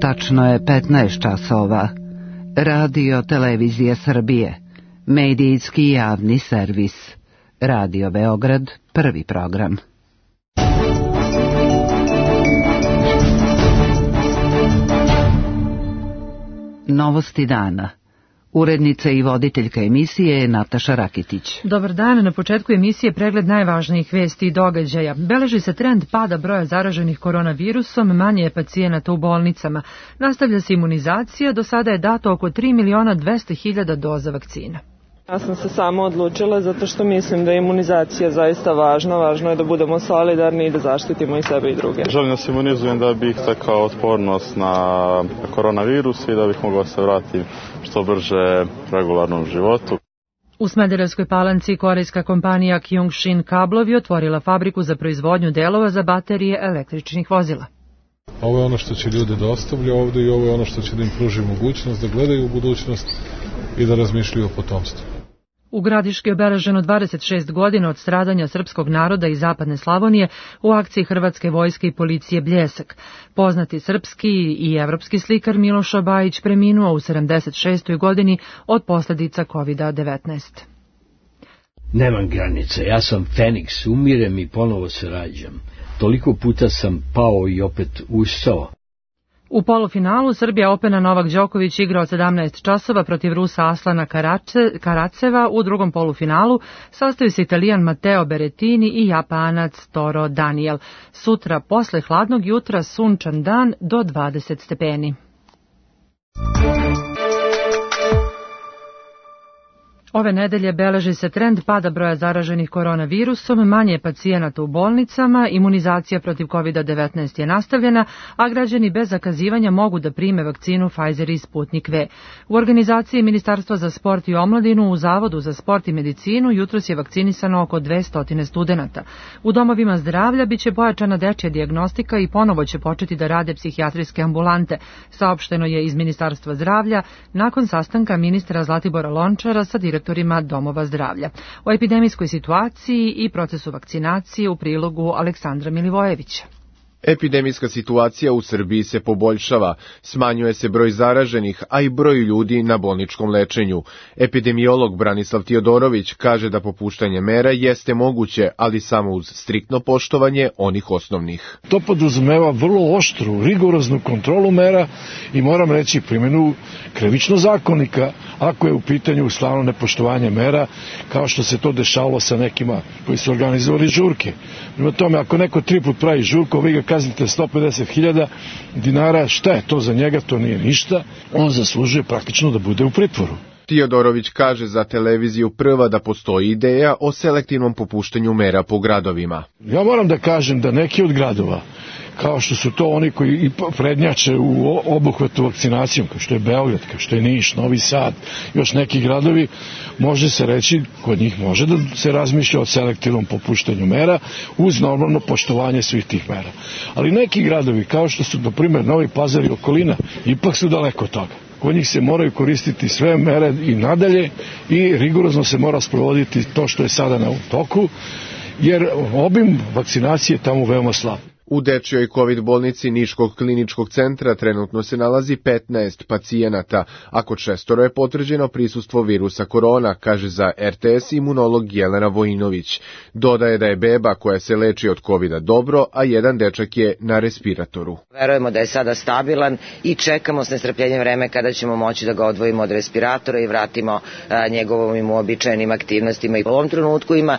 Tačno je 15 časova. Radio Televizija Srbije. Medijski javni servis. Radio Beograd, prvi program. Novosti dana. Urednica i voditeljka emisije je Nataša Rakitić. Dobar dan, na početku emisije pregled najvažnijih vesti i događaja. Beleži se trend pada broja zaraženih koronavirusom, manje je pacijenata u bolnicama. Nastavlja se imunizacija, do sada je dato oko 3.200.000 doza vakcina. Ja sam se samo odlučila zato što mislim da je imunizacija zaista važna. Važno je da budemo solidarni i da zaštitimo i sebe i druge. Želim da se imunizujem da bih stekao otpornost na koronavirus i da bih mogao se vratiti što brže regularnom životu. U Smederevskoj Palanci korejska kompanija Kyungshin Kablovi otvorila fabriku za proizvodnju delova za baterije električnih vozila. Ovo je ono što će ljude da ostavlja ovde i ovo je ono što će da im pruži mogućnost da gledaju u budućnost i da razmišljaju o potomstvu. U Gradiški je obeleženo 26 godina od stradanja srpskog naroda iz zapadne Slavonije u akciji Hrvatske vojske i policije Bljesak. Poznati srpski i evropski slikar Miloš Bajić preminuo u 76. godini od posljedica COVID-19. Nemam granice, ja sam Feniks, umirem i ponovo se rađam. Toliko puta sam pao i opet ustao. U polufinalu Srbija Opena Novak Đoković igra od 17 časova protiv Rusa Aslana Karaceva. U drugom polufinalu sastaju se Italijan Matteo Berrettini i Japanac Toro Daniel. Sutra posle hladnog jutra sunčan dan do 20 stepeni. Ove nedelje beleži se trend pada broja zaraženih koronavirusom, manje je pacijenata u bolnicama, imunizacija protiv COVID-19 je nastavljena, a građani bez zakazivanja mogu da prime vakcinu Pfizer i Sputnik V. U organizaciji Ministarstva za sport i omladinu u Zavodu za sport i medicinu jutros je vakcinisano oko 200 studenata. U domovima zdravlja biće pojačana dečja dijagnostika i ponovo će početi da rade psihijatrijske ambulante, saopšteno je iz Ministarstva zdravlja nakon sastanka ministra Zlatibora Lončara sa direktorima domova zdravlja. O epidemijskoj situaciji i procesu vakcinacije u prilogu Aleksandra Milivojevića. Epidemijska situacija u Srbiji se poboljšava, smanjuje se broj zaraženih, a i broj ljudi na bolničkom lečenju. Epidemiolog Branislav Tiodorović kaže da popuštanje mera jeste moguće, ali samo uz striktno poštovanje onih osnovnih. To podrazumeva vrlo oštru, rigoroznu kontrolu mera i moram reći primjenu krivičnog zakonika ako je u pitanju stalno nepoštovanje mera, kao što se to dešavalo sa nekima koji su organizovali žurke. Prema tome, ako neko 3 put pravi žurku, vi ga kaznite 150.000 dinara, šta je to za njega, to nije ništa, on zaslužuje praktično da bude u pritvoru. Tiodorović kaže za televiziju Prva da postoji ideja o selektivnom popuštanju mera po gradovima. Ja moram da kažem da neki od gradova, kao što su to oni koji prednjače u obuhvatu vakcinacijom, kao što je Beograd, kao što je Niš, Novi Sad, još neki gradovi, može se reći, kod njih može da se razmišlja o selektivnom popuštanju mera uz normalno poštovanje svih tih mera. Ali neki gradovi, kao što su, na primjer, Novi Pazar i okolina, ipak su daleko od toga. Kod njih se moraju koristiti sve mere i nadalje i rigorozno se mora sprovoditi to što je sada na toku, jer obim vakcinacije je tamo veoma slab. U dečjoj COVID bolnici Niškog kliničkog centra trenutno se nalazi 15 pacijenata, a kod 6 je potvrđeno prisustvo virusa korona, kaže za RTS imunolog Jelena Vojinović. Dodaje da je beba koja se leči od COVID-a dobro, a jedan dečak je na respiratoru. Verujemo da je sada stabilan i čekamo s nestrpljenjem vreme kada ćemo moći da ga odvojimo od respiratora i vratimo njegovim uobičajenim aktivnostima. I u ovom trenutku ima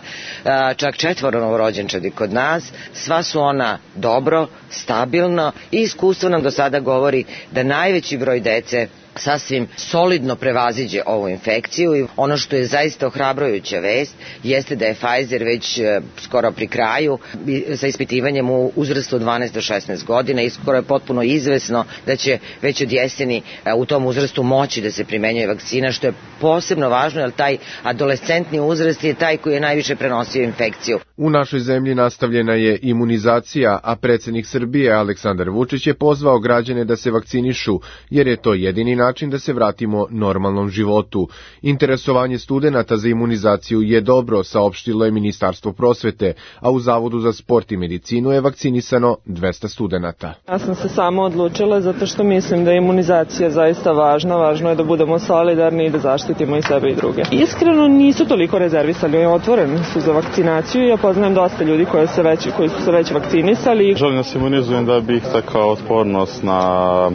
čak 4 novorođenčadi kod nas, sva su ona dobro, stabilno i iskustvo nam do sada govori da najveći broj dece sasvim solidno prevaziđe ovu infekciju i ono što je zaista ohrabrujuća vest jeste da je Pfizer već skoro pri kraju sa ispitivanjem u uzrastu od 12 do 16 godina i skoro je potpuno izvesno da će već od jeseni u tom uzrastu moći da se primenjuje vakcina, što je posebno važno jer taj adolescentni uzrast je taj koji je najviše prenosio infekciju. U našoj zemlji nastavljena je imunizacija, a predsjednik Srbije Aleksandar Vučić je pozvao građane da se vakcinišu, jer je to jedini način da se vratimo normalnom životu. Interesovanje studenata za imunizaciju je dobro, saopštilo je Ministarstvo prosvete, a u Zavodu za sport i medicinu je vakcinisano 200 studenata. Ja sam se samo odlučila zato što mislim da je imunizacija zaista važna. Važno je da budemo solidarni i da zaštitimo i sebe i druge. Iskreno nisu toliko rezervisali, otvoreni su za vakcinaciju. Ja poznajem dosta ljudi koji su se već vakcinisali. Želim da se imunizujem da bih stekao otpornost na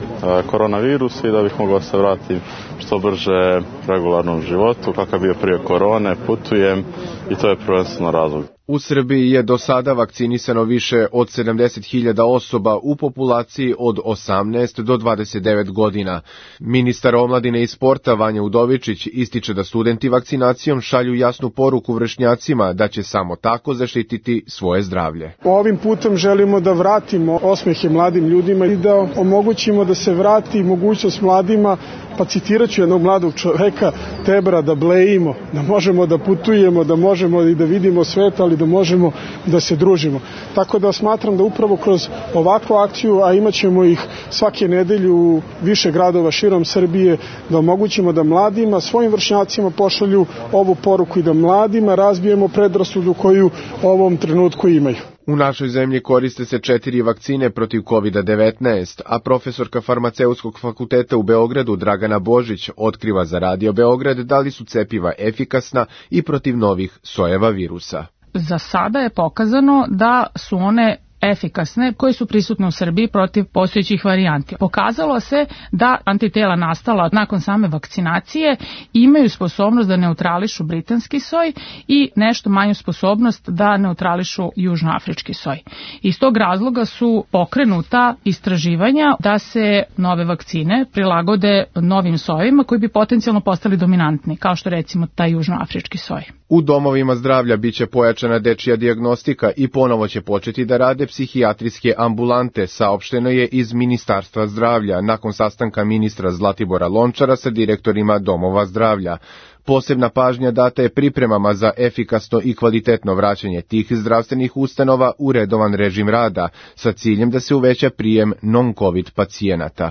koronavirus i da bih mogao se vratiti što brže regularnom životu, kakav bio prije korone, putujem i to je prvenstveno razlog. U Srbiji je do sada vakcinisano više od 70.000 osoba u populaciji od 18 do 29 godina. Ministar omladine i sporta Vanja Udovičić ističe da studenti vakcinacijom šalju jasnu poruku vršnjacima da će samo tako zaštititi svoje zdravlje. Ovim putem želimo da vratimo osmehe mladim ljudima i da omogućimo da se vrati mogućnost mladima, pa citirat ću jednog mladog čoveka, Tebra, da blejimo, da možemo da putujemo, da možemo i da vidimo svet, ali da možemo da se družimo. Tako da smatram da upravo kroz ovakvu akciju, a imat ćemo ih svake nedelje u više gradova širom Srbije, da omogućimo da mladima, svojim vršnjacima pošalju ovu poruku i da mladima razbijemo predrasudu koju u ovom trenutku imaju. U našoj zemlji koriste se 4 vakcine protiv COVID-19, a profesorka farmaceutskog fakulteta u Beogradu Dragana Božić otkriva za Radio Beograd da li su cepiva efikasna i protiv novih sojeva virusa. Za sada je pokazano da su one efikasne koje su prisutne u Srbiji protiv postojećih varijanti. Pokazalo se da antitela nastala nakon same vakcinacije imaju sposobnost da neutrališu britanski soj i nešto manju sposobnost da neutrališu južnoafrički soj. Iz tog razloga su pokrenuta istraživanja da se nove vakcine prilagode novim sojevima koji bi potencijalno postali dominantni, kao što recimo taj južnoafrički soj. U domovima zdravlja biće pojačana dečija dijagnostika i ponovo će početi da rade psihijatrijske ambulante, saopšteno je iz Ministarstva zdravlja nakon sastanka ministra Zlatibora Lončara sa direktorima domova zdravlja. Posebna pažnja data je pripremama za efikasno i kvalitetno vraćanje tih zdravstvenih ustanova u redovan režim rada, sa ciljem da se uveća prijem non-covid pacijenata.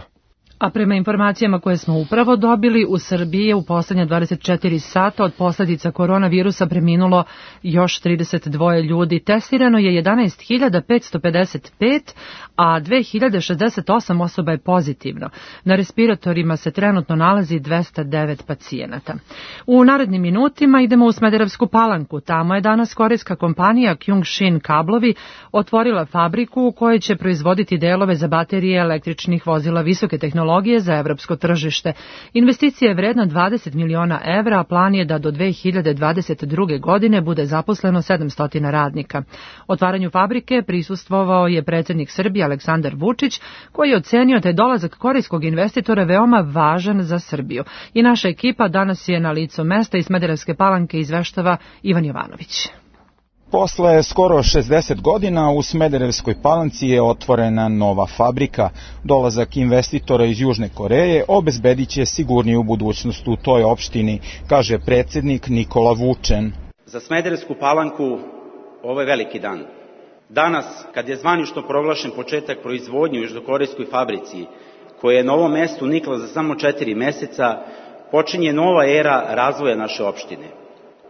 A prema informacijama koje smo upravo dobili, u Srbiji je u poslednja 24 sata od posljedica koronavirusa preminulo još 32 ljudi. Testirano je 11.555, a 2.068 osoba je pozitivno. Na respiratorima se trenutno nalazi 209 pacijenata. U narednim minutima idemo u Smederevsku Palanku. Tamo je danas korejska kompanija Kyungshin Kablovi otvorila fabriku u kojoj će proizvoditi delove za baterije električnih vozila visoke tehnologije za evropsko tržište. Investicija je vredna 20 miliona evra, a plan je da do 2022. godine bude zaposleno 700 radnika. Otvaranju fabrike prisustvovao je predsjednik Srbije Aleksandar Vučić, koji je ocenio da je dolazak korejskog investitora veoma važan za Srbiju. I naša ekipa danas je na licu mesta iz Smederevske Palanke, izveštava Ivan Jovanović. Posle skoro 60 godina u Smederevskoj Palanci je otvorena nova fabrika. Dolazak investitora iz Južne Koreje obezbedit će sigurniju budućnost u toj opštini, kaže predsjednik Nikola Vučen. Za Smederevsku Palanku ovo je veliki dan. Danas, kad je zvanično proglašen početak proizvodnje u južnokorejskoj fabrici, koja je na ovom mestu nikla za samo 4 meseca, počinje nova era razvoja naše opštine.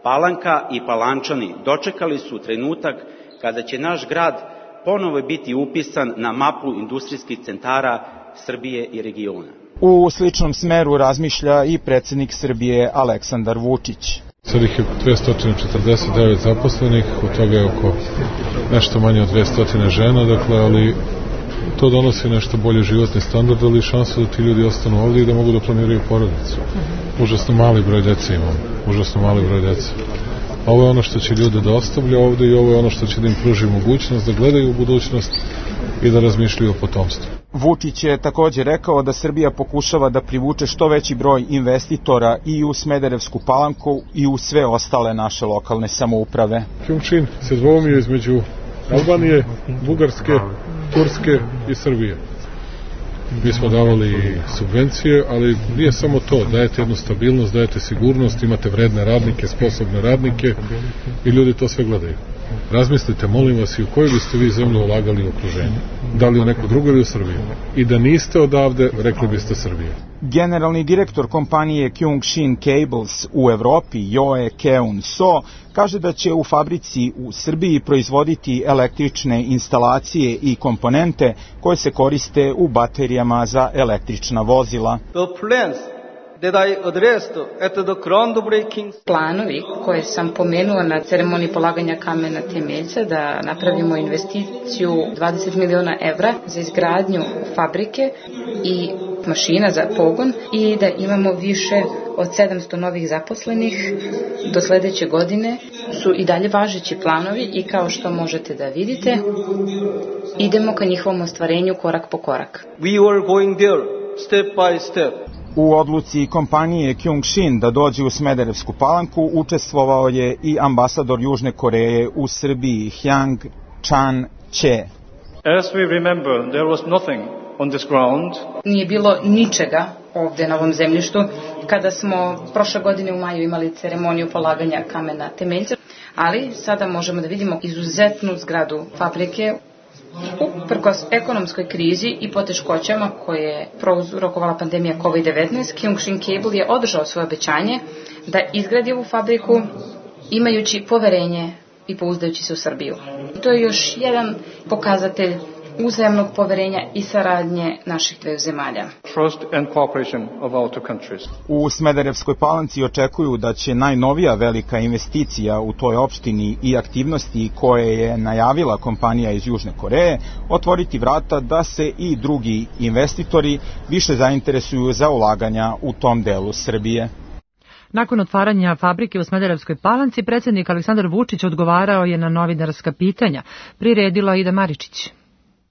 Palanka i Palančani dočekali su trenutak kada će naš grad ponovo biti upisan na mapu industrijskih centara Srbije i regiona. U sličnom smeru razmišlja i predsjednik Srbije Aleksandar Vučić. Sad ih je 249 zaposlenih, od toga je oko nešto manje od 200 žena, dakle, ali to donosi nešto bolje životni standard, ali šansu da ti ljudi ostanu ovdje i da mogu da planiraju porodicu. Užasno mali broj dece imamo, užasno mali broj dece. Ovo je ono što će ljude da ostavlja ovdje i ovo je ono što će da im pruži mogućnost da gledaju u budućnost i da razmišljaju o potomstvu. Vučić je također rekao da Srbija pokušava da privuče što veći broj investitora i u Smederevsku Palanku i u sve ostale naše lokalne samouprave. Kyungshin se dvoumio između Albanije, Bugarske, Turske i Srbije. Mi smo davali subvencije, ali nije samo to. Dajete jednu stabilnost, dajete sigurnost, imate vredne radnike, sposobne radnike i ljudi to sve gledaju. Razmislite, molim vas, i u koju biste vi zemlju ulagali u okruženju. Da li u neku drugu ili u Srbiju. I da niste odavde, rekli biste Srbije. Generalni direktor kompanije Kyungshin Cables u Evropi, Joe Keun-so, kaže da će u fabrici u Srbiji proizvoditi električne instalacije i komponente koje se koriste u baterijama za električna vozila. Planovi koje sam pomenula na ceremoniji polaganja kamena temeljca da napravimo investiciju 20 miliona evra za izgradnju fabrike i mašina za pogon i da imamo više od 700 novih zaposlenih do sledeće godine su i dalje važeći planovi i kao što možete da vidite idemo ka njihovom ostvarenju korak po korak. We were going there step by step. U odluci kompanije Kyungshin da dođe u Smederevsku Palanku učestvovao je i ambasador Južne Koreje u Srbiji, Hyang Chan-che. As we remember, there was nothing on this ground. Nije bilo ničega ovde na ovom zemljištu kada smo prošle godine u maju imali ceremoniju polaganja kamena temeljca, ali sada možemo da vidimo izuzetnu zgradu fabrike. Uprkos ekonomskoj krizi i poteškoćama koje je prouzrokovala pandemija COVID-19, Kyungshin Cable je održao svoje obećanje da izgradi ovu fabriku imajući poverenje i pouzdajući se u Srbiju. To je još jedan pokazatelj uzajamnog poverenja i saradnje naših dveju zemalja. U Smederevskoj Palanci očekuju da će najnovija velika investicija u toj opštini i aktivnosti koje je najavila kompanija iz Južne Koreje otvoriti vrata da se i drugi investitori više zainteresuju za ulaganja u tom delu Srbije. Nakon otvaranja fabrike u Smederevskoj Palanci, predsjednik Aleksandar Vučić odgovarao je na novinarska pitanja. Priredila Ida Maričić.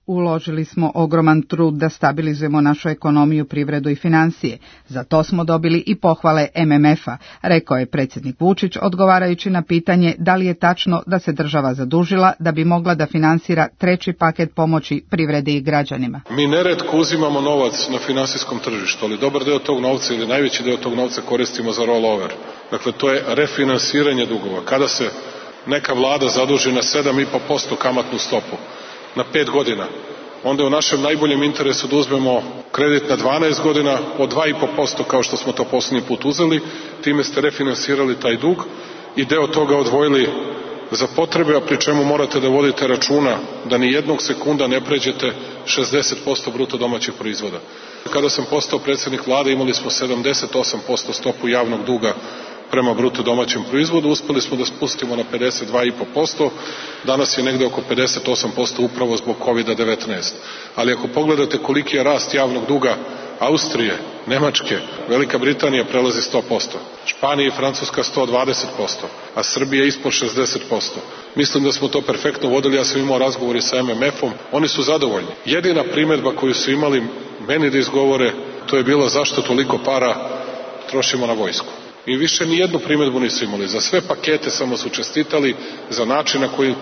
Uložili smo ogroman trud da stabilizujemo našu ekonomiju, privredu i financije. Za to smo dobili i pohvale MMF-a, rekao je predsjednik Vučić odgovarajući na pitanje da li je tačno da se država zadužila da bi mogla da finansira treći paket pomoći privredi i građanima. Mi neretko uzimamo novac na finansijskom tržištu, ali dobar deo tog novca ili najveći deo tog novca koristimo za rollover. Dakle, to je refinansiranje dugova. Kada se neka vlada zaduži na 7,5% kamatnu stopu, na 5 godina, onda je u našem najboljem interesu da uzmemo kredit na 12 godina od 2,5% kao što smo to poslednji put uzeli, time ste refinansirali taj dug i deo toga odvojili za potrebe, a pri čemu morate da vodite računa da ni jednog sekunda ne pređete 60% bruto domaćeg proizvoda. Kada sam postao predsjednik vlade imali smo 78% stopu javnog duga prema bruto domaćem proizvodu, uspeli smo da spustimo na 52,5%, danas je negde oko 58% upravo zbog COVID-19. Ali ako pogledate koliki je rast javnog duga Austrije, Nemačke, Velika Britanija prelazi 100%, Španija i Francuska 120%, a Srbija ispod 60%. Mislim da smo to perfektno vodili, ja sam imao razgovori sa MMF-om, oni su zadovoljni. Jedina primedba koju su imali meni da izgovore, to je bilo zašto toliko para trošimo na vojsku. I više ni jednu primedbu nisu imali. Za sve pakete samo su čestitali, za način na koji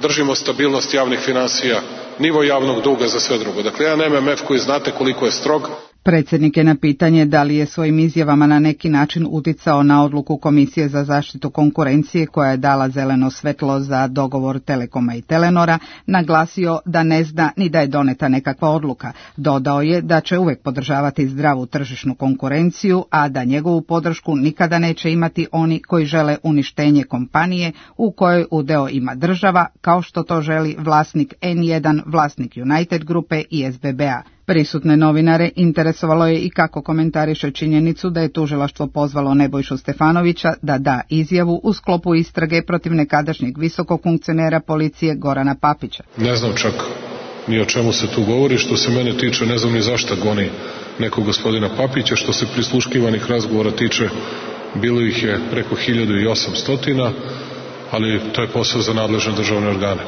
držimo stabilnost javnih finansija, nivo javnog duga, za sve drugo. Dakle, jedan MMF koji znate koliko je strog. Predsjednik je na pitanje da li je svojim izjavama na neki način uticao na odluku Komisije za zaštitu konkurencije koja je dala zeleno svetlo za dogovor Telekoma i Telenora, naglasio da ne zna ni da je doneta nekakva odluka. Dodao je da će uvek podržavati zdravu tržišnu konkurenciju, a da njegovu podršku nikada neće imati oni koji žele uništenje kompanije u kojoj udeo ima država, kao što to želi vlasnik N1, vlasnik United grupe i SBB-a. Prisutne novinare interesovalo je i kako komentariše činjenicu da je tužilaštvo pozvalo Nebojšu Stefanovića da da izjavu u sklopu istrage protiv nekadašnjeg visokog funkcionera policije Gorana Papića. Ne znam čak ni o čemu se tu govori, što se mene tiče ne znam ni zašto goni nekog gospodina Papića, što se prisluškivanih razgovora tiče bilo ih je preko 1800, ali to je posao za nadležne državne organe.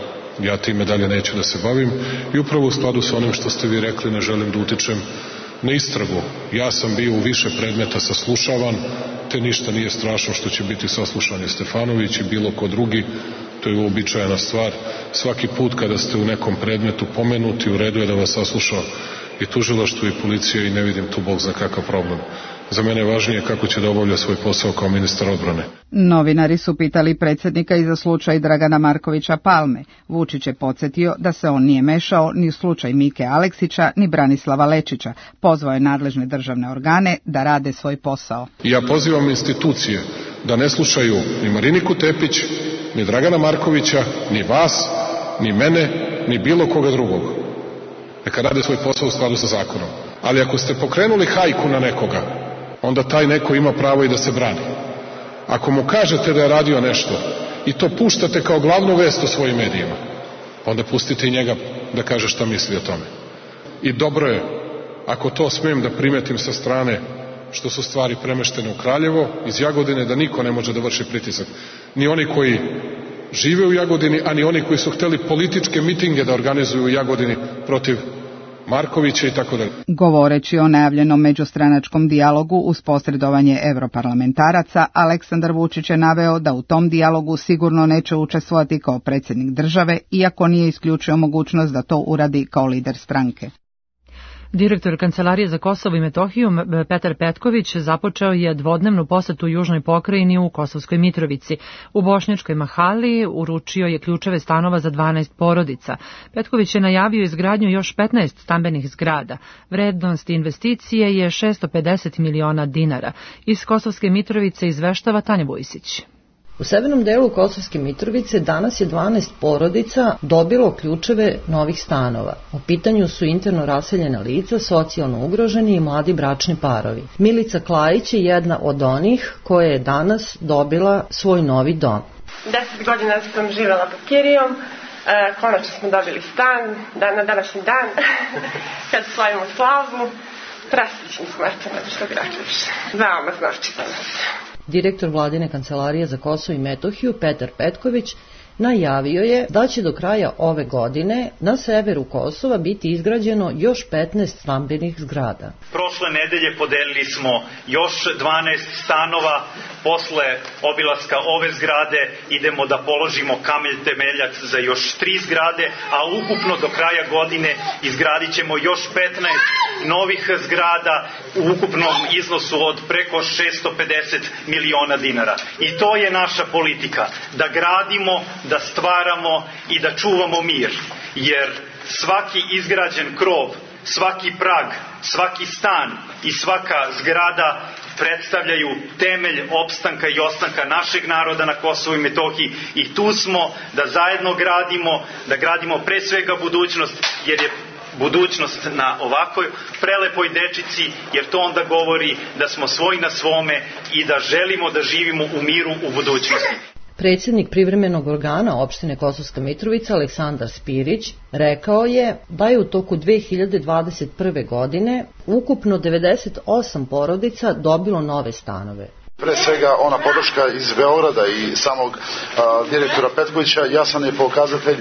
Ja time dalje neću da se bavim i upravo u skladu sa onim što ste vi rekli ne želim da utičem na istragu. Ja sam bio u više predmeta saslušavan, te ništa nije strašno što će biti saslušanje Stefanović i bilo ko drugi, to je uobičajena stvar. Svaki put kada ste u nekom predmetu pomenuti, u redu je da vas sasluša i tužilaštvo i policija i ne vidim tu bog za kakav problem. Za mene je važnije kako će da obavlja svoj posao kao ministar odbrane. Novinari su pitali predsjednika i za slučaj Dragana Markovića Palme. Vučić je podsjetio da se on nije mešao ni u slučaj Mike Aleksića ni Branislava Lečića. Pozvao je nadležne državne organe da rade svoj posao. Ja pozivam institucije da ne slušaju ni Mariniku Tepić, ni Dragana Markovića, ni vas, ni mene, ni bilo koga drugog. Neka rade svoj posao u skladu sa zakonom. Ali ako ste pokrenuli hajku na nekoga, onda taj neko ima pravo i da se brani. Ako mu kažete da je radio nešto i to puštate kao glavnu vest u svojim medijima, onda pustite i njega da kaže šta misli o tome. I dobro je, ako to smijem da primetim sa strane, što su stvari premeštene u Kraljevo, iz Jagodine, da niko ne može da vrši pritisak. Ni oni koji žive u Jagodini, a ni oni koji su hteli političke mitinge da organizuju u Jagodini protiv Markovića i tako dalje. Govoreći o najavljenom međustranačkom dijalogu uz posredovanje europarlamentaraca, Aleksandar Vučić je naveo da u tom dijalogu sigurno neće učestvovati kao predsjednik države, iako nije isključio mogućnost da to uradi kao lider stranke. Direktor Kancelarije za Kosovo i Metohiju Petar Petković započeo je dvodnevnu posetu Južnoj pokrajini u Kosovskoj Mitrovici. U Bošnjačkoj Mahali uručio je ključeve stanova za 12 porodica. Petković je najavio izgradnju još 15 stambenih zgrada. Vrednost investicije je 650 miliona dinara. Iz Kosovske Mitrovice izveštava Tanja Vujsić. U severnom delu Kosovske Mitrovice danas je 12 porodica dobilo ključeve novih stanova. U pitanju su interno raseljena lica, socijalno ugroženi i mladi bračni parovi. Milica Klajić je jedna od onih koja je danas dobila svoj novi dom. 10 godina sam živjela pod kirijom, konačno smo dobili stan, na današnji dan, kad slavimo slavu, presrećni smo, eto, što bi rekli više. Veoma znači za nas. Direktor Vladine kancelarije za Kosovo i Metohiju Petar Petković najavio je da će do kraja ove godine na severu Kosova biti izgrađeno još 15 stambenih zgrada. Prošle nedelje podelili smo još 12 stanova. Posle obilaska ove zgrade idemo da položimo kamen temeljac za još 3 zgrade, a ukupno do kraja godine izgradit ćemo još 15 novih zgrada u ukupnom iznosu od preko 650 miliona dinara. I to je naša politika, da gradimo, da stvaramo i da čuvamo mir, jer svaki izgrađen krov, svaki prag, svaki stan i svaka zgrada predstavljaju temelj opstanka i ostanka našeg naroda na Kosovu i Metohiji i tu smo da zajedno gradimo, da gradimo pre svega budućnost, jer je budućnost na ovakvoj prelepoj dečici, jer to onda govori da smo svoji na svome i da želimo da živimo u miru u budućnosti. Predsjednik privremenog organa opštine Kosovska Mitrovica Aleksandar Spirić rekao je da je u toku 2021. godine ukupno 98 porodica dobilo nove stanove. Pre svega ona podrška iz Beograda i samog direktora Petkovića jasan je pokazatelj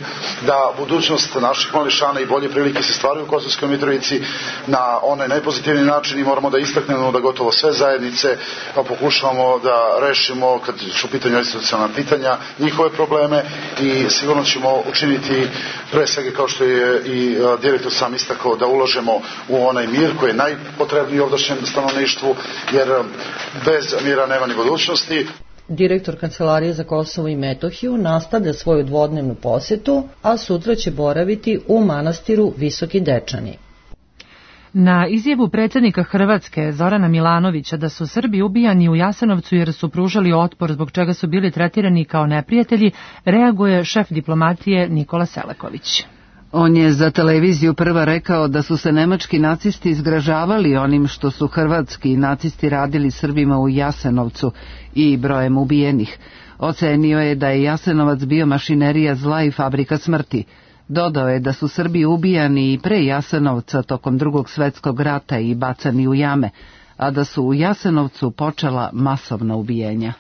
da budućnost naših mališana i bolje prilike se stvaraju u Kosovskoj Mitrovici na onaj najpozitivniji način i moramo da istaknemo da gotovo sve zajednice pokušavamo da rešimo kad su u pitanju institucionalna pitanja, njihove probleme i sigurno ćemo učiniti pre svega kao što je i direktor sam istakao da ulažemo u onaj mir koji je najpotrebniji ovdašnjem stanovništvu jer bez mira nema ni budućnosti. Direktor Kancelarije za Kosovo i Metohiju nastavlja svoju dvodnevnu posetu, a sutra će boraviti u manastiru Visoki Dečani. Na izjavu predsjednika Hrvatske Zorana Milanovića da su Srbi ubijani u Jasenovcu jer su pružali otpor zbog čega su bili tretirani kao neprijatelji, reaguje šef diplomatije Nikola Selaković. On je za televiziju Prva rekao da su se nemački nacisti izgražavali onim što su hrvatski nacisti radili Srbima u Jasenovcu i brojem ubijenih. Ocenio je da je Jasenovac bio mašinerija zla i fabrika smrti. Dodao je da su Srbi ubijani i pre Jasenovca tokom Drugog svjetskog rata i bacani u jame, a da su u Jasenovcu počela masovna ubijenja.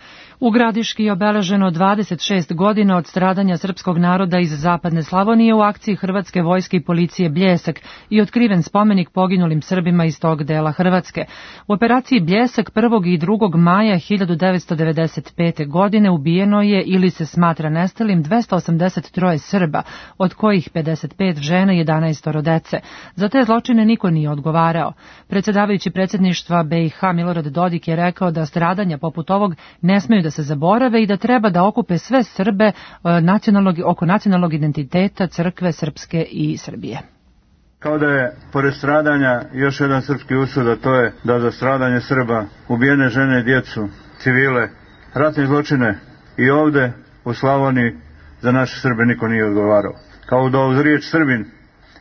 U Gradiški je obeleženo 26 godina od stradanja srpskog naroda iz zapadne Slavonije u akciji Hrvatske vojske i policije Bljesak i otkriven spomenik poginulim Srbima iz tog dela Hrvatske. U operaciji Bljesak 1. i 2. maja 1995. godine ubijeno je ili se smatra nestalim 283 Srba, od kojih 55 žena i 11 dece. Za te zločine niko nije odgovarao. Predsjedavajući predsjedništva BiH Milorad Dodik je rekao da stradanja poput ovog ne smeju da se zaborave i da treba da okupe sve Srbe oko nacionalnog identiteta crkve srpske i Srbije. Kao da je, pored stradanja, još jedan srpski usud, a to je da za stradanje Srba, ubijene žene i djecu, civile, ratne zločine i ovde u Slavoniji za naše Srbe niko nije odgovarao. Kao da uz riječ Srbin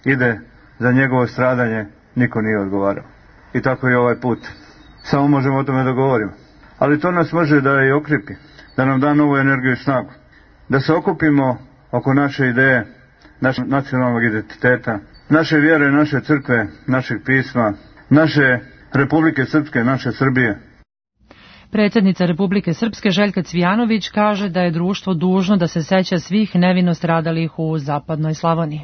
ide za njegovo stradanje, niko nije odgovarao. I tako je ovaj put. Samo možemo o tome da govorimo. Ali to nas može da i okripi, da nam da novu energiju i snagu. Da se okupimo oko naše ideje, našeg nacionalnog identiteta, naše vjere, naše crkve, našeg pisma, naše Republike Srpske, naše Srbije. Predsjednica Republike Srpske Željka Cvijanović kaže da je društvo dužno da se seća svih nevino stradalih u zapadnoj Slavoniji.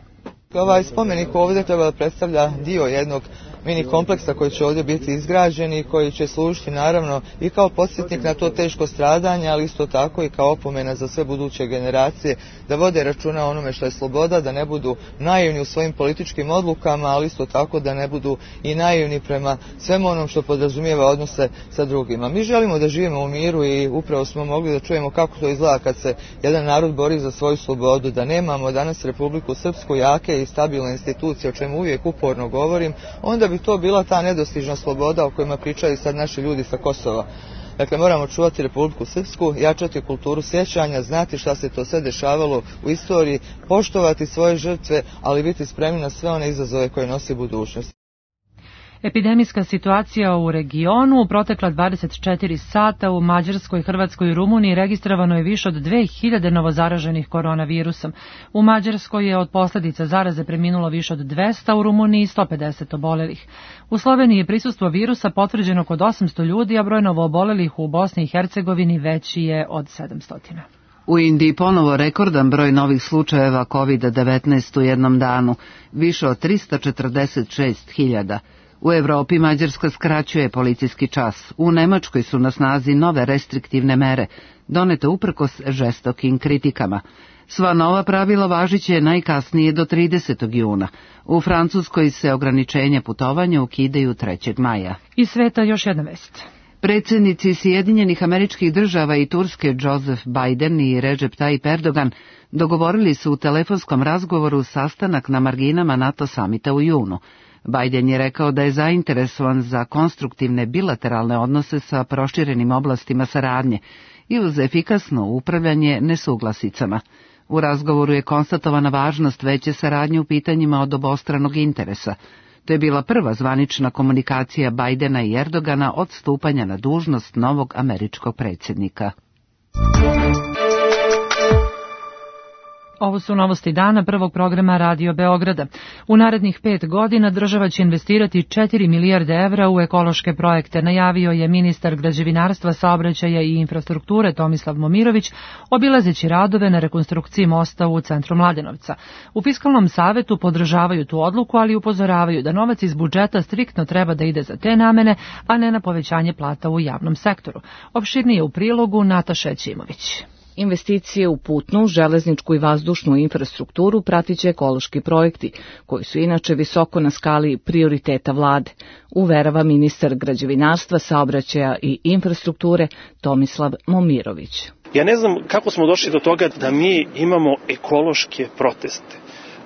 Ovaj spomenik ovdje treba da predstavlja dio jednog mini kompleksa koji će ovdje biti izgrađen i koji će služiti naravno i kao podsjetnik na to teško stradanje, ali isto tako i kao opomena za sve buduće generacije da vode računa o onome što je sloboda, da ne budu naivni u svojim političkim odlukama, ali isto tako da ne budu i naivni prema svemu onom što podrazumijeva odnose sa drugima. Mi želimo da živimo u miru i upravo smo mogli da čujemo kako to izgleda kad se jedan narod bori za svoju slobodu, da nemamo danas Republiku Srpsku jake i stabilne institucije, o čemu uvijek uporno govorim, onda bi to bila ta nedostižna sloboda o kojima pričaju sad naši ljudi sa Kosova. Dakle, moramo čuvati Republiku Srpsku, jačati kulturu sjećanja, znati šta se to sve dešavalo u istoriji, poštovati svoje žrtve, ali biti spremni na sve one izazove koje nosi budućnost. Epidemijska situacija u regionu u protekla 24 sata u Mađarskoj, Hrvatskoj i Rumuniji registrovano je više od 2000 novozaraženih koronavirusom. U Mađarskoj je od posljedica zaraze preminulo više od 200, u Rumuniji 150 obolelih. U Sloveniji je prisustvo virusa potvrđeno kod 800 ljudi, a broj novoobolelih u Bosni i Hercegovini veći je od 700. U Indiji ponovo rekordan broj novih slučajeva COVID-19 u jednom danu, više od 346.000. U Evropi Mađarska skraćuje policijski čas. U Nemačkoj su na snazi nove restriktivne mere, donete uprkos žestokim kritikama. Sva nova pravila važiće najkasnije do 30. juna. U Francuskoj se ograničenja putovanja ukidaju 3. maja. Iz sveta još jedna vest. Predsjednici Sjedinjenih Američkih Država i Turske Joseph Biden i Recep Tayyip Erdogan dogovorili su u telefonskom razgovoru sastanak na marginama NATO samita u junu. Biden je rekao da je zainteresovan za konstruktivne bilateralne odnose sa proširenim oblastima saradnje i uz efikasno upravljanje nesuglasicama. U razgovoru je konstatovana važnost veće saradnje u pitanjima od obostranog interesa. To je bila prva zvanična komunikacija Bidena i Erdogana od stupanja na dužnost novog američkog predsjednika. Ovo su novosti dana prvog programa Radio Beograda. U narednih 5 godina država će investirati 4 milijarde evra u ekološke projekte, najavio je ministar građevinarstva, saobraćaja i infrastrukture Tomislav Momirović, obilazeći radove na rekonstrukciji mosta u centru Mladenovca. U Fiskalnom savetu podržavaju tu odluku, ali upozoravaju da novac iz budžeta striktno treba da ide za te namene, a ne na povećanje plata u javnom sektoru. Opširnije u prilogu Nataša Ćimović. Investicije u putnu, železničku i vazdušnu infrastrukturu pratiće ekološki projekti, koji su inače visoko na skali prioriteta vlade, uverava ministar građevinarstva, saobraćaja i infrastrukture Tomislav Momirović. Ja ne znam kako smo došli do toga da mi imamo ekološke proteste.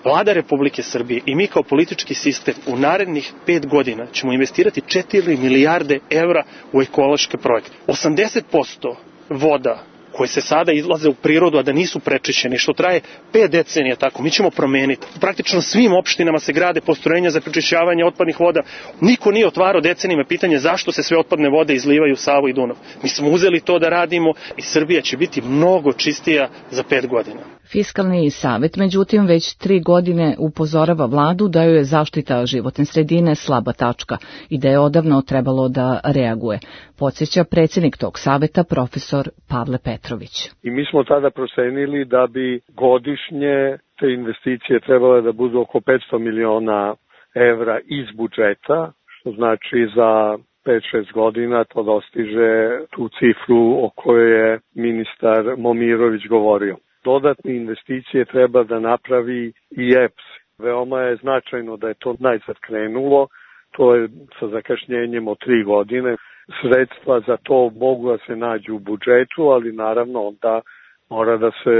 Vlada Republike Srbije i mi kao politički sistem u narednih 5 godina ćemo investirati 4 milijarde evra u ekološke projekte. 80% voda koje se sada izlaze u prirodu, a da nisu prečišćeni, što traje 5 decenija tako, mi ćemo promeniti. Praktično svim opštinama se grade postrojenja za prečišćavanje otpadnih voda. Niko nije otvarao decenijama pitanje zašto se sve otpadne vode izlivaju u Savu i Dunav. Mi smo uzeli to da radimo i Srbija će biti mnogo čistija za 5 godina. Fiskalni savet, međutim, već 3 godine upozorava vladu da joj je zaštita životne sredine slaba tačka i da je odavno trebalo da reaguje. Podsjeća predsjednik tog saveta, profesor Pavle Petrović. I mi smo tada procenili da bi godišnje te investicije trebale da budu oko 500 miliona evra iz budžeta, što znači za 5-6 godina to dostiže tu cifru o kojoj je ministar Momirović govorio. Dodatne investicije treba da napravi i EPS. Veoma je značajno da je to najzad krenulo, to je sa zakašnjenjem od 3 godine. Sredstva za to mogu da se nađu u budžetu, ali naravno onda mora da se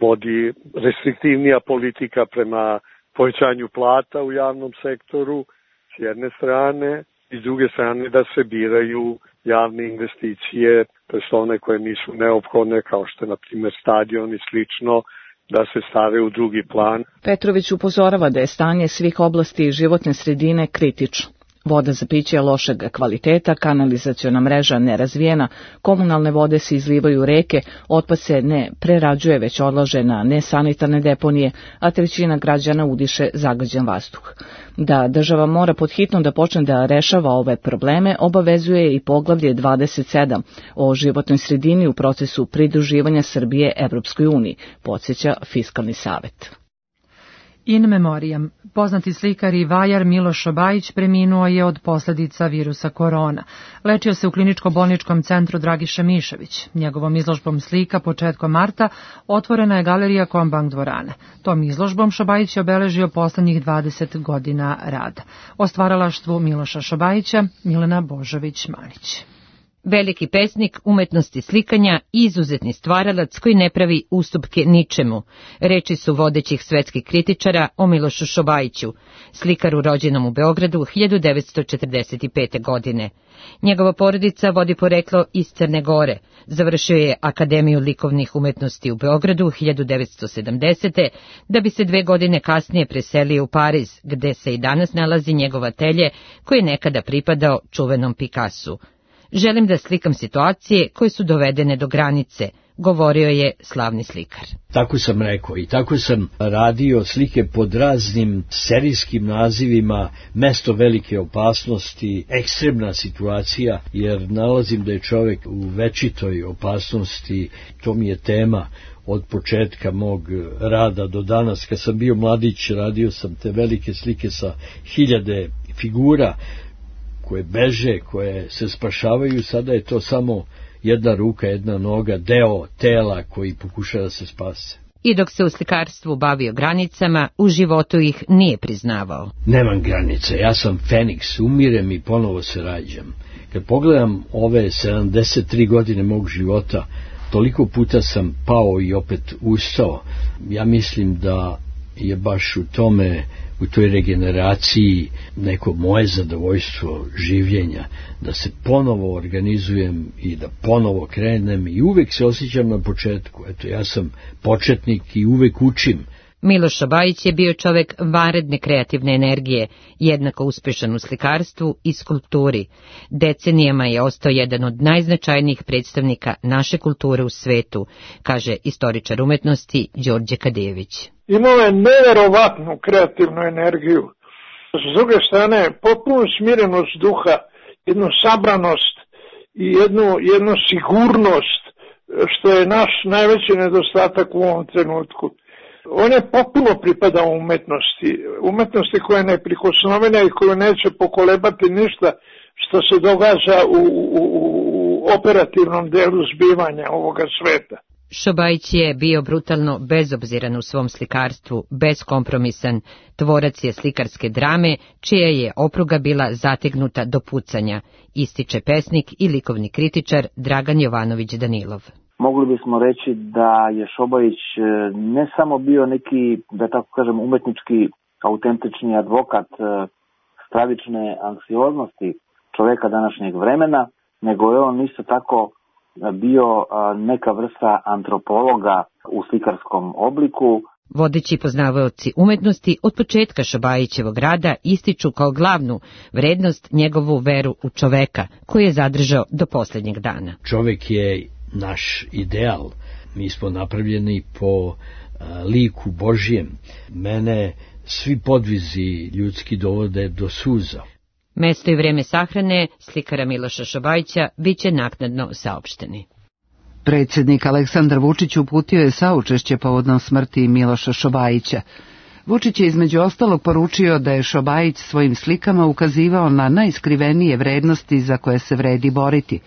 vodi restriktivnija politika prema povećanju plata u javnom sektoru s jedne strane i s druge strane da se biraju javne investicije, to je one koje nisu neophodne, kao što je na primjer stadion i slično, da se stave u drugi plan. Petrović upozorava da je stanje svih oblasti životne sredine kritično. Voda za piće je lošeg kvaliteta, kanalizaciona mreža nerazvijena, komunalne vode se izlivaju u reke, otpad se ne prerađuje već odlaže na nesanitarne deponije, a 1/3 građana udiše zagađen vazduh. Da država mora podhitno da počne da rešava ove probleme, obavezuje i poglavlje 27 o životnoj sredini u procesu pridruživanja Srbije Evropskoj uniji, podsjeća Fiskalni savet. In memoriam. Poznati slikar i vajar Miloš Šobajić preminuo je od posljedica virusa korona. Lečio se u kliničko-bolničkom centru Dragiša Mišević. Njegovom izložbom slika početkom marta otvorena je galerija Kombank dvorane. Tom izložbom Šobajić je obeležio poslednjih 20 godina rada. O stvaralaštvu Miloša Šobajića Milena Božović-Manić. Veliki pesnik umetnosti slikanja i izuzetni stvaralac koji ne pravi ustupke ničemu. Reči su vodećih svetskih kritičara o Milošu Šobajiću, slikaru rođenom u Beogradu 1945. godine. Njegova porodica vodi poreklo iz Crne Gore. Završio je Akademiju likovnih umetnosti u Beogradu 1970. da bi se 2 godine kasnije preselio u Pariz, gde se i danas nalazi njegov atelje koji je nekada pripadao čuvenom Picassu. Želim da slikam situacije koje su dovedene do granice, govorio je slavni slikar. Tako sam rekao i tako sam radio slike pod raznim serijskim nazivima, mesto velike opasnosti, ekstremna situacija, jer nalazim da je čovjek u večitoj opasnosti. To mi je tema od početka mog rada do danas. Kad sam bio mladić, radio sam te velike slike sa 1000 figura, koje beže, koje se spašavaju. Sada je to samo jedna ruka, jedna noga, deo tela koji pokušava da se spase. I dok se u slikarstvu bavio granicama, u životu ih nije priznavao. Nemam granice, ja sam Feniks, umirem i ponovo se rađam. Kad pogledam ove 73 godine mog života, toliko puta sam pao i opet ustao. Ja mislim da je baš u tome, u toj regeneraciji neko moje zadovoljstvo življenja, da se ponovo organizujem i da ponovo krenem i uvek se osjećam na početku. Eto, ja sam početnik i uvek učim. Miloš Šobajić je bio čovek vanredne kreativne energije, jednako uspešan u slikarstvu i skulpturi. Decenijama je ostao jedan od najznačajnijih predstavnika naše kulture u svetu, kaže istoričar umetnosti Đorđe Kadejević. Imao je neverovatnu kreativnu energiju. S druge strane, potpuno smirenost duha, jednu sabranost i jednu sigurnost, što je naš najveći nedostatak u ovom trenutku. On je potpuno pripadao umetnosti koja je neprikosnovena i koju neće pokolebati ništa što se događa u operativnom delu zbivanja ovoga sveta. Šobajić je bio brutalno bezobziran u svom slikarstvu, beskompromisan, tvorac je slikarske drame, čija je opruga bila zategnuta do pucanja, ističe pesnik i likovni kritičar Dragan Jovanović Danilov. Mogli bismo reći da je Šobajić ne samo bio neki, da tako kažem, umetnički autentični advokat stravične anksioznosti čoveka današnjeg vremena, nego je on isto tako bio neka vrsta antropologa u slikarskom obliku. Vodeći poznavaoci umetnosti od početka Šobajićevog rada ističu kao glavnu vrednost njegovu veru u čoveka, koju je zadržao do posljednjeg dana. Čovek je naš ideal. Mi smo napravljeni po liku Božijem. Mene svi podvizi ljudski dovode do suza. Mesto i vreme sahrane slikara Miloša Šobajića biće naknadno saopšteni. Predsjednik Aleksandar Vučić uputio je saučešće povodom smrti Miloša Šobajića. Vučić je između ostalog poručio da je Šobajić svojim slikama ukazivao na najskrivenije vrednosti za koje se vredi boriti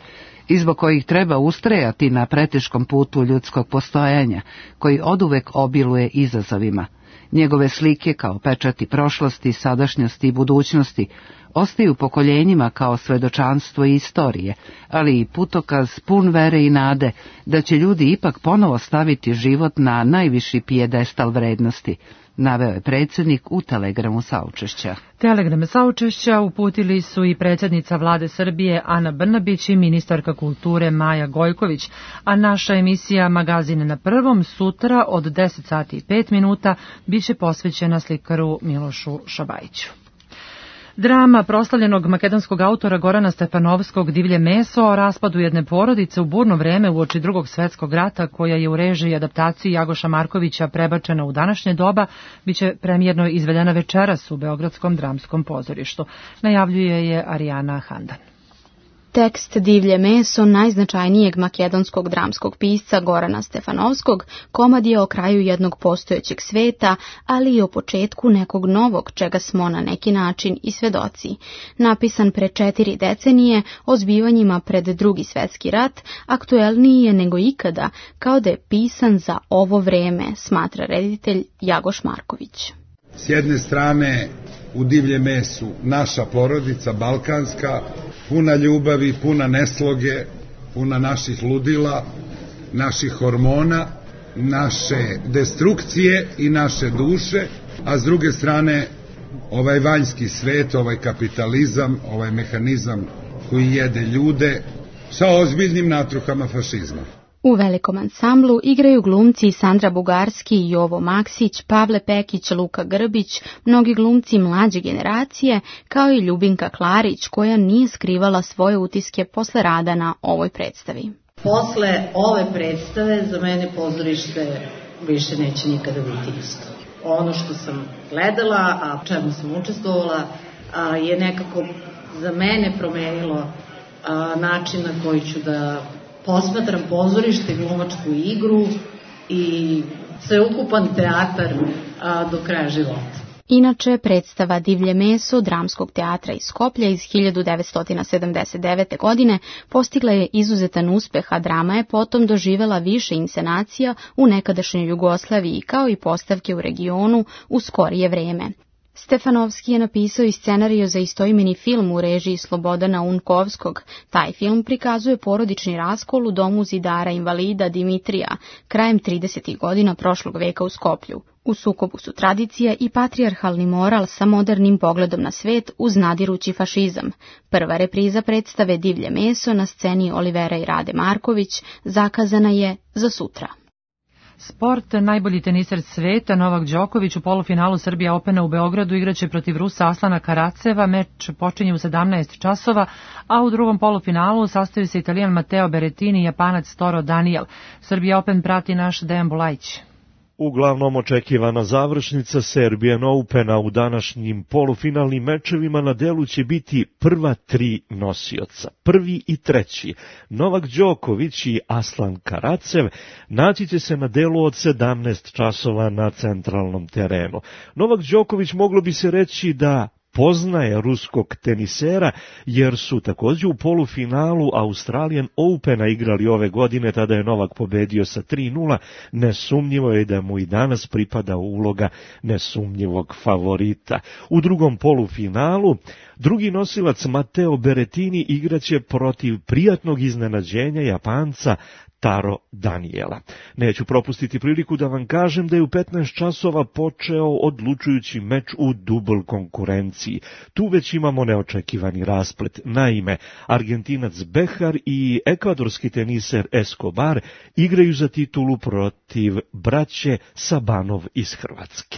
i zbog kojih treba ustrajati na preteškom putu ljudskog postojanja, koji oduvek obiluje izazovima. Njegove slike kao pečati prošlosti, sadašnjosti i budućnosti ostaju pokoljenjima kao svedočanstvo istorije, ali i putokaz pun vere i nade da će ljudi ipak ponovo staviti život na najviši pijedestal vrednosti, naveo je predsjednik u telegramu saučešća. Telegrame saučešća uputili su i predsjednica vlade Srbije Ana Brnabić i ministarka kulture Maja Gojković, a naša emisija Magazine na prvom sutra od 10 sati i 5 minuta biće posvećena slikaru Milošu Šobajiću. Drama proslavljenog makedonskog autora Gorana Stefanovskog Divlje meso o raspadu jedne porodice u burno vreme uoči Drugog svjetskog rata, koja je u režiji i adaptaciji Jagoša Markovića prebačena u današnje doba, biće premijerno izvedena večeras u Beogradskom dramskom pozorištu, najavljuje je Arijana Handan. Tekst Divlje meso najznačajnijeg makedonskog dramskog pisca Gorana Stefanovskog komad je o kraju jednog postojećeg sveta, ali i o početku nekog novog, čega smo na neki način i svedoci. Napisan pre 4 decenije, o zbivanjima pred Drugi svjetski rat, aktuelniji je nego ikada, kao da je pisan za ovo vreme, smatra reditelj Jagoš Marković. S jedne strane, u Divlje mesu naša porodica balkanska, puna ljubavi, puna nesloge, puna naših ludila, naših hormona, naše destrukcije i naše duše, a s druge strane ovaj vanjski svet, ovaj kapitalizam, ovaj mehanizam koji jede ljude sa ozbiljnim natruhama fašizma. U velikom ansamblu igraju glumci Sandra Bugarski, Jovo Maksić, Pavle Pekić, Luka Grbić, mnogi glumci mlađe generacije, kao i Ljubinka Klarić, koja nije skrivala svoje utiske posle rada na ovoj predstavi. Posle ove predstave za mene pozorište više neće nikada biti isto. Ono što sam gledala, a čemu sam učestvovala, je nekako za mene promenilo način na koji ću da posmatram pozorište, glumačku igru i sveukupan teatar do kraja života. Inače, predstava Divlje meso Dramskog teatra iz Skoplja iz 1979. godine postigla je izuzetan uspeh, a drama je potom doživela više inscenacija u nekadašnjoj Jugoslaviji, kao i postavke u regionu u skorije vreme. Stefanovski je napisao i scenariju za istoimeni film u režiji Slobodana Unkovskog. Taj film prikazuje porodični raskol u domu zidara invalida Dimitrija krajem 30. godina prošlog veka u Skoplju. U sukobu su tradicija i patrijarhalni moral sa modernim pogledom na svet uz nadirući fašizam. Prva repriza predstave Divlje meso na sceni Olivera i Rade Marković zakazana je za sutra. Sport, najbolji teniser sveta Novak Đoković u polufinalu Srbija Opena u Beogradu igraće protiv Rusa Aslana Karaceva. Meč počinje u 17 časova, a u drugom polufinalu sastaju se Italijan Matteo Berrettini i Japanac Toro Daniel. Srbija Open prati naš Dejan Bulajić. Uglavnom očekivana završnica Serbian Opena u današnjim polufinalnim mečevima na delu će biti prva 3 nosioca. Prvi i treći, Novak Đoković i Aslan Karacev, naći će se na delu od 17 časova na centralnom terenu. Novak Đoković moglo bi se reći da poznaje ruskog tenisera, jer su također u polufinalu Australian Opena igrali ove godine, tada je Novak pobedio sa 3:0, nesumnjivo je da mu i danas pripada uloga nesumnjivog favorita. U drugom polufinalu drugi nosilac Matteo Berrettini igraće protiv prijatnog iznenađenja Japanca Taro Daniela. Neću propustiti priliku da vam kažem da je u 15 časova počeo odlučujući meč u dubl konkurenciji. Tu već imamo neočekivani rasplet. Naime, Argentinac Behar i ekvadorski teniser Escobar igraju za titulu protiv braće Sabanov iz Hrvatske.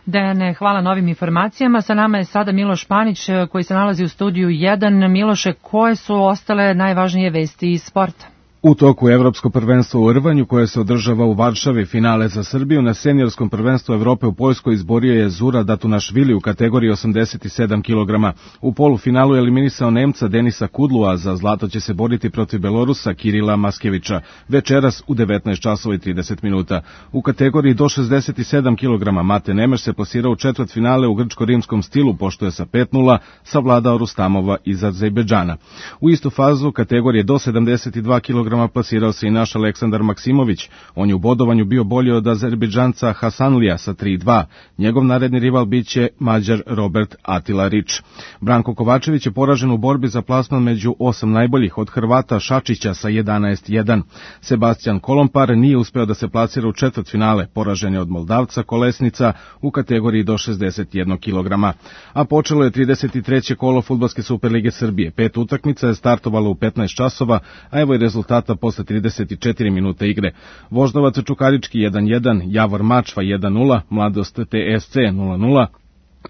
Dejane, hvala novim informacijama. Sa nama je sada Miloš Panić koji se nalazi u studiju 1. Miloše, koje su ostale najvažnije vesti iz sporta? U toku Evropsko prvenstvo u rvanju koje se održava u Varšavi, finale za Srbiju na seniorskom prvenstvu Evrope u Poljskoj izborio je Zura Datunašvili u kategoriji 87 kg. U polufinalu je eliminisao Nemca Denisa Kudlua, za zlato će se boriti protiv Belorusa Kirila Maskevića večeras u 19:30. U kategoriji do 67 kg Mate Nemeš se plasirao u četvrtfinale u grčko-rimskom stilu, pošto je sa 5:0 savladao Rustamova iz Azerbejdžana. U istu fazu kategorije do 72 kg plasirao se i naš Aleksandar Maksimović. On je u bodovanju bio bolji od Azerbejdžanca Hasanlija sa 3:2. Njegov naredni rival biće Mađar Robert Atila Rič. Branko Kovačević je poražen u borbi za plasman među 8 najboljih od Hrvata Šačića sa 11:1. Sebastian Kolompar nije uspeo da se plasira u četvrtfinale, poražen je od Moldavca Kolesnica u kategoriji do 61 kg. A počelo je 33. kolo Fudbalske Superlige Srbije. 5 utakmica je startovalo u 15 časova, a evo i rezultata posle 34 minuta igre. Voždovac Čukarički 1:1, Javor Mačva 1:0, Mladost TSC 0:0,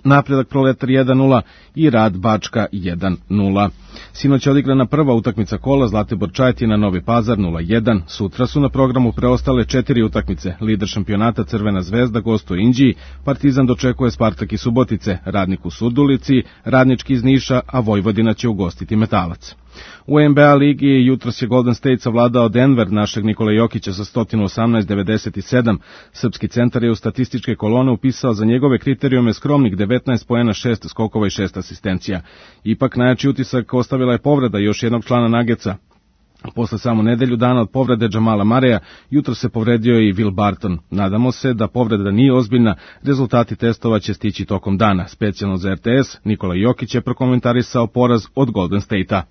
Napredak Proletar 1:0 i Rad Bačka 1:0. Sinoć je odigrana prva utakmica kola, Zlatibor Čajetina Novi Pazar 0:1. Sutra su na programu preostale 4 utakmice. Lider šampionata Crvena zvezda gostuje Inđiji, Partizan dočekuje Spartak iz Subotice, Radnik u Surdulici, Radnički iz Niša, a Vojvodina će ugostiti Metalac. U NBA ligi jutros je Golden State savladao Denver našeg Nikola Jokića sa 118-97. Srpski centar je u statističke kolone upisao za njegove kriterijume skromnih 19 poena, 6 skokova i 6 asistencija. Ipak najjači utisak ostavila je povreda još jednog člana Nuggetsa. Posle samo nedelju dana od povrede Jamala Mareja, jutro se povredio i Will Barton. Nadamo se da povreda nije ozbiljna, rezultati testova će stići tokom dana. Specijalno za RTS, Nikola Jokić je prokomentarisao poraz od Golden State-a.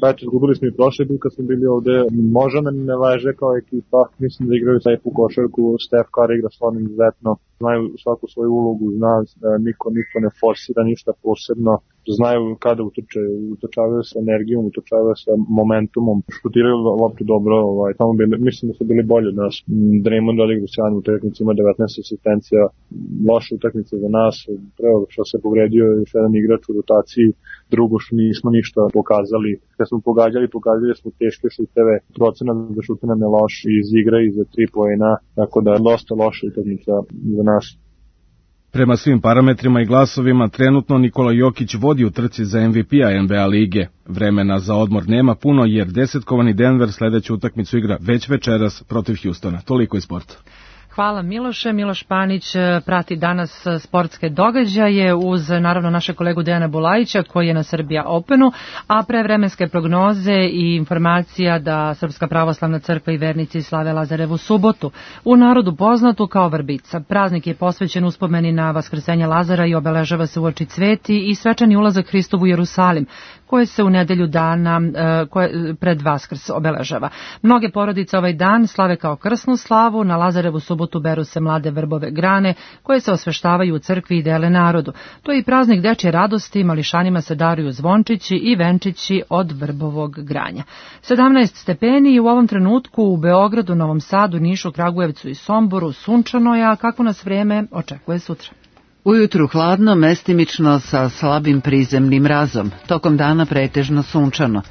Eto, izgubili smo i prošle put kad smo bili ovde. Možda ne leže kao ekipa. Mislim da igraju lepu košarku. Steph Curry igra stvarno izuzetno. Znaju svaku svoju ulogu, zna da niko ne forsira ništa posebno. Znaju kada utrčavaju sa energijom, utrčavaju sa momentumom. Šutiraju loptu dobro. Tamo mislim da su bili bolji od nas. Draymond odigra sjajnu utakmicu, ima 19 asistencija. Loša utakmica za nas. Prvo što se povredio još jedan igrač u rotaciji. Drugo što nismo ništa pokazali. Kad smo pogađali smo teške šuteve. Procenat za šute nam je loš iz igre i za 3 poena. Tako da je dosta loša utakmica za nas. Prema svim parametrima i glasovima, trenutno Nikola Jokić vodi u trci za MVP-a NBA lige. Vremena za odmor nema puno jer 10-kovani Denver sledeću utakmicu igra već večeras protiv Hjustona. Toliko iz sporta. Hvala Miloše. Miloš Panić prati danas sportske događaje uz naravno naše kolegu Dejana Bulajića koji je na Serbia Openu, a pre vremenske prognoze i informacija da Srpska pravoslavna crkva i vernici slave Lazarevu subotu, u narodu poznatu kao Vrbica. Praznik je posvećen uspomeni na vaskrsenje Lazara i obeležava se uoči Cveti i svečani ulazak Hristov u Jerusalim, koje se u nedelju dana pred Vaskrs obeležava. Mnoge porodice ovaj dan slave kao krsnu slavu, na Lazarevu subotu beru se mlade vrbove grane koje se osveštavaju u crkvi i dele narodu. To je i praznik dečje radosti, mališanima se daruju zvončići i venčići od vrbovog granja. 17 stepeni i u ovom trenutku u Beogradu, Novom Sadu, Nišu, Kragujevcu i Somboru sunčano je, a kako nas vreme očekuje sutra. Ujutru hladno, mestimično sa slabim prizemnim mrazom. Tokom dana pretežno sunčano.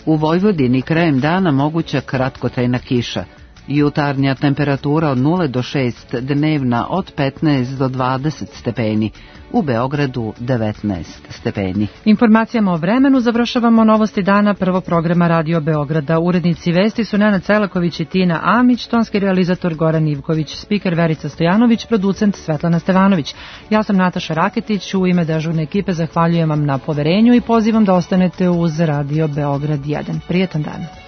U Vojvodini krajem dana moguća kratkotrajna kiša. Jutarnja temperatura od 0 do 6, dnevna od 15 do 20 stepeni. U Beogradu 19 stepeni. Informacijama o vremenu završavamo novosti dana prvog programa Radio Beograda. Urednici vesti su Nenad Celaković i Tina Amić, tonski realizator Goran Ivković, spiker Verica Stojanović, producent Svetlana Stevanović. Ja sam Nataša Raketić, u ime dežurne ekipe zahvaljujem vam na poverenju i pozivam da ostanete uz Radio Beograd 1. Prijetan dan.